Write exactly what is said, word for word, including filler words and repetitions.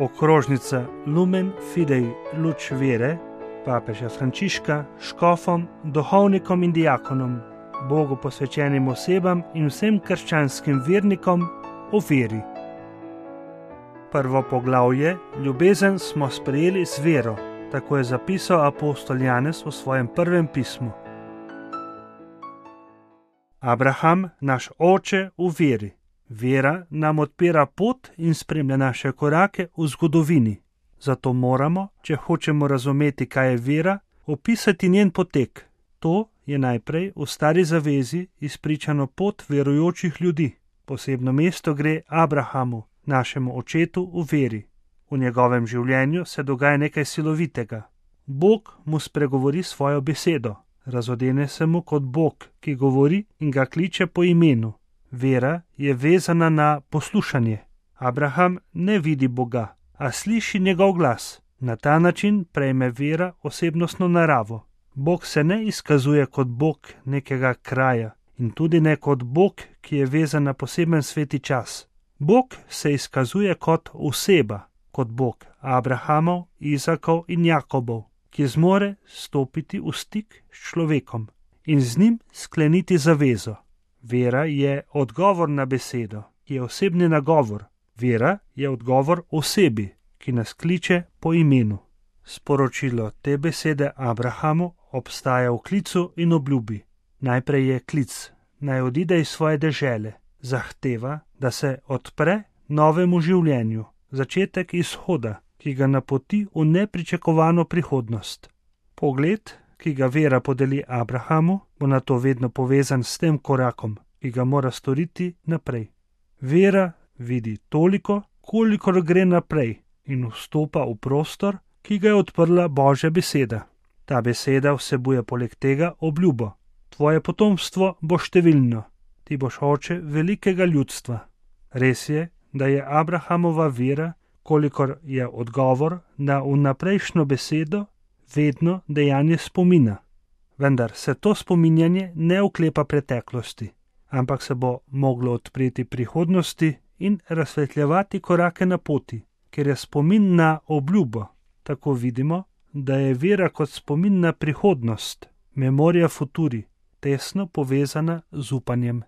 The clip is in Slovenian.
okrožnica Lumen Fidei Luč Vere, papeža Frančiška, škofom, duhovnikom in diakonom, Bogu posvečenim osebam in vsem krščanskim vernikom o veri. Prvo poglavje, ljubezen smo sprejeli z vero, tako je zapisal apostol Janez v svojem prvem pismu. Abraham, naš oče v veri. Vera nam odpira pot in spremlja naše korake v zgodovini. Zato moramo, če hočemo razumeti, kaj je vera, opisati njen potek. To je najprej v Stari zavezi izpričano pot verujočih ljudi. Posebno mesto gre Abrahamu, našemu očetu v veri. V njegovem življenju se dogaja nekaj silovitega. Bog mu spregovori svojo besedo. Razodene se mu kot Bog, ki govori in ga kliče po imenu. Vera je vezana na poslušanje. Abraham ne vidi Boga, a sliši njegov glas. Na ta način prejme vera osebnostno naravo. Bog se ne izkazuje kot Bog nekega kraja in tudi ne kot Bog, ki je vezan na poseben sveti čas. Bog se izkazuje kot oseba, kot Bog Abrahamov, Izakov in Jakobov, ki zmore stopiti v stik s človekom in z njim skleniti zavezo. Vera je odgovor na besedo, ki je osebni nagovor. Vera je odgovor osebi, ki nas kliče po imenu. Sporočilo te besede Abrahamu obstaja v klicu in obljubi. Najprej je klic, naj odide iz svoje dežele. Zahteva, da se odpre novemu življenju, začetek izhoda, ki ga napoti v nepričakovano prihodnost. Pogled, ki ga vera podeli Abrahamu, bo na to vedno povezan s tem korakom, ki ga mora storiti naprej. Vera vidi toliko, kolikor gre naprej in vstopa v prostor, ki ga je odprla Božja beseda. Ta beseda vsebuje poleg tega obljubo. Tvoje potomstvo bo številno, ti boš oče velikega ljudstva. Res je, da je Abrahamova vera, kolikor je odgovor na vnaprejšnjo besedo, vedno dejanje spomina. Vendar se to spominjanje ne oklepa preteklosti, ampak se bo moglo odpreti prihodnosti in razsvetljevati korake na poti, ker je spomin na obljubo. Tako vidimo, da je vera kot spomin na prihodnost, memoria futuri, tesno povezana z upanjem.